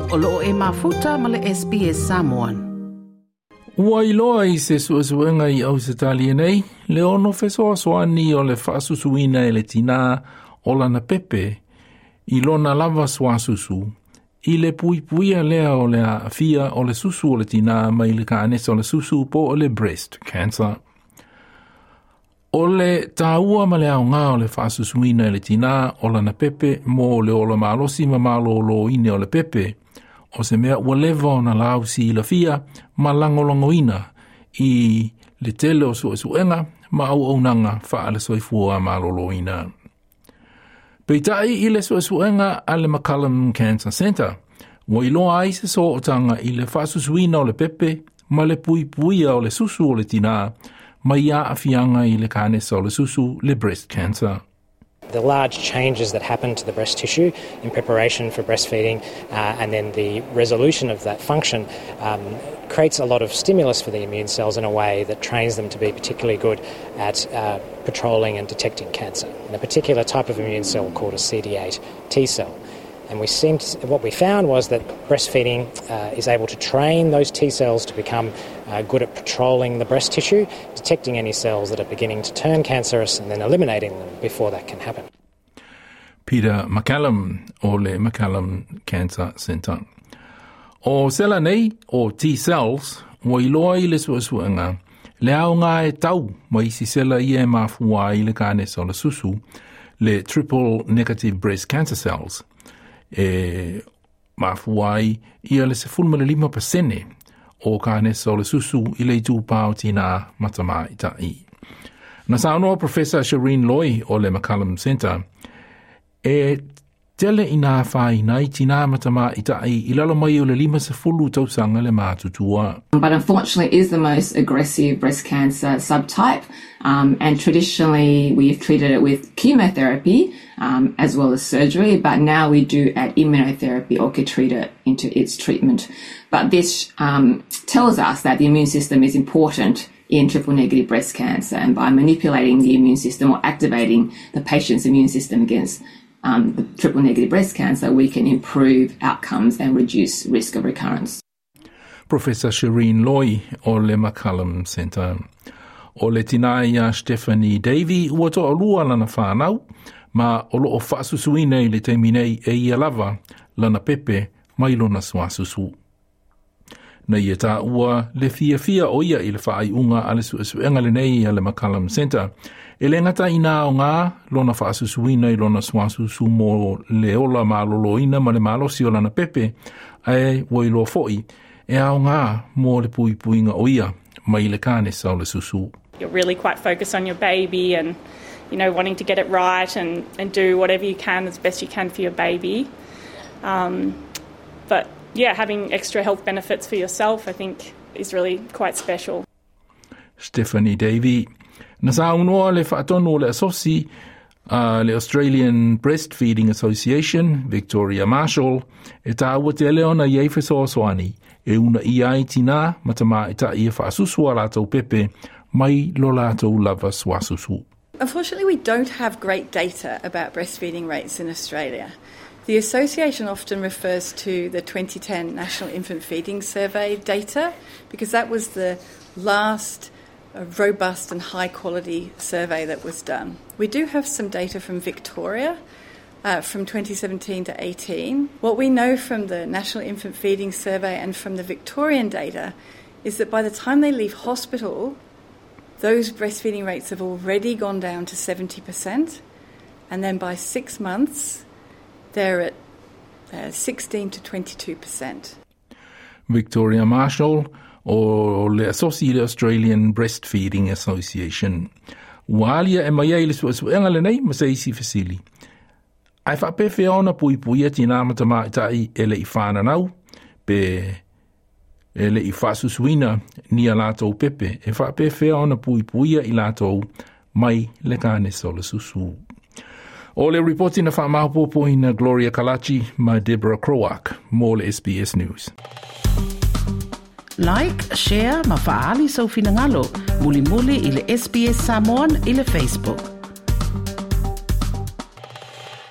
O loo e mafuta ma le SBS Samoan. Ua iloa i se suesuega i Ausetalia nei, le ono fesoasoani o le faasusuina e le tinā o lana pepe i lona lava suasusu, i le puipuia lea o le aafia o le susu o le tinā mai le kanesa o le susu po o le breast cancer. O le tāua ma le aoga o le faasusuina e le tinā o lana pepe mo le ola malosi ma malōlōina o le pepe, o se mea ua leva ona lausilafia ma lagolagoina i le tele o suesuega ma auaunaga faale-soifua malōlōina. Peitai i le suesuega a le McCallum Cancer Centre, ua iloa ai se sootaga i le faasusuina o le pepe ma le puipuia o le susu o le tinā mai aafiaga i le kanesa o le susu, le breast cancer. The large changes that happen to the breast tissue in preparation for breastfeeding and then the resolution of that function creates a lot of stimulus for the immune cells in a way that trains them to be particularly good at patrolling and detecting cancer, and a particular type of immune cell called a CD8 T cell. And what we found was that breastfeeding is able to train those T cells to become good at patrolling the breast tissue, detecting any cells that are beginning to turn cancerous and then eliminating them before that can happen. Peter MacCallum o le MacCallum Cancer Centre. O sela nei, o T-cells, ua iloa i le suesuega, le aoga e tau ma isi sela ia e mafua ai le kanesa o le susu, le triple negative breast cancer cells, e mafua ai ia le 15% o kanesa o le susu i le itupā o tinā ma tamaitai. Na saunoa Professor Shireen Loi o le MacCallum Centre, e tele ina afaina ai tinā ma tamaitai i lalo mai o le 50 tausaga le matutua. But unfortunately it is the most aggressive breast cancer subtype and traditionally we've treated it with chemotherapy as well as surgery, but now we do add immunotherapy or Keytruda into its treatment. But this tells us that the immune system is important in triple negative breast cancer, and by manipulating the immune system or activating the patient's immune system against the triple negative breast cancer, we can improve outcomes and reduce risk of recurrence. Professor Shireen Loi o le MacCallum Centre. O le tinā ia Stephanie Davey ua toalua lana whānau, ma o loo faasusuina i le taimi nei e ia lava lana pepe mai lona suasusu. Na ia taua le fiafia o ia i le faaiuga a le suesuega lenei a le MacCallum Centre. E le gata ina aoga lona faasusuina i lona suasusu mo le ola malōlōina ma le malosi o lana pepe, ae ua iloa foi e aoga mo le puipuiga o ia mai le kanesa o le susu. You're really quite focused on your baby and, wanting to get it right and do whatever you can as best you can for your baby. But yeah, having extra health benefits for yourself, I think, is really quite special. Stephanie Davey. Na saunoa le faatonu o le asosi le Australian Breastfeeding Association, Victoria Marshall, e tāua tele ona i ai fesoasoani e uunaia ai tinā ma tamaitai e faasusu a latou pepe mai lo latou lava suasusu. Unfortunately, we don't have great data about breastfeeding rates in Australia. The association often refers to the 2010 National Infant Feeding Survey data because that was the last robust and high quality survey that was done. We do have some data from Victoria from 2017 to 18. What we know from the National Infant Feeding Survey and from the Victorian data is that by the time they leave hospital, those breastfeeding rates have already gone down to 70%, and then by 6 months, they're at 16 to 22%. Victoria Marshall o le asosi le Australian Breastfeeding Association. Ua alia e mai ai le suesuega lenei ma se isi fesili. Ae faapefea ona puipuia tinā ma tamaitai e le i whananau, pe e le i faasusuina ni a latou pepe, e faapefea ona puipuia i latou mai le kanesa o le susu. O le ripoti na faamaopoopoina Gloria Kalachi ma Deborah Croark mo le SBS News. Like, share ma faaali sou finagalo. Mulimuli i le SBS Samoan i le Facebook.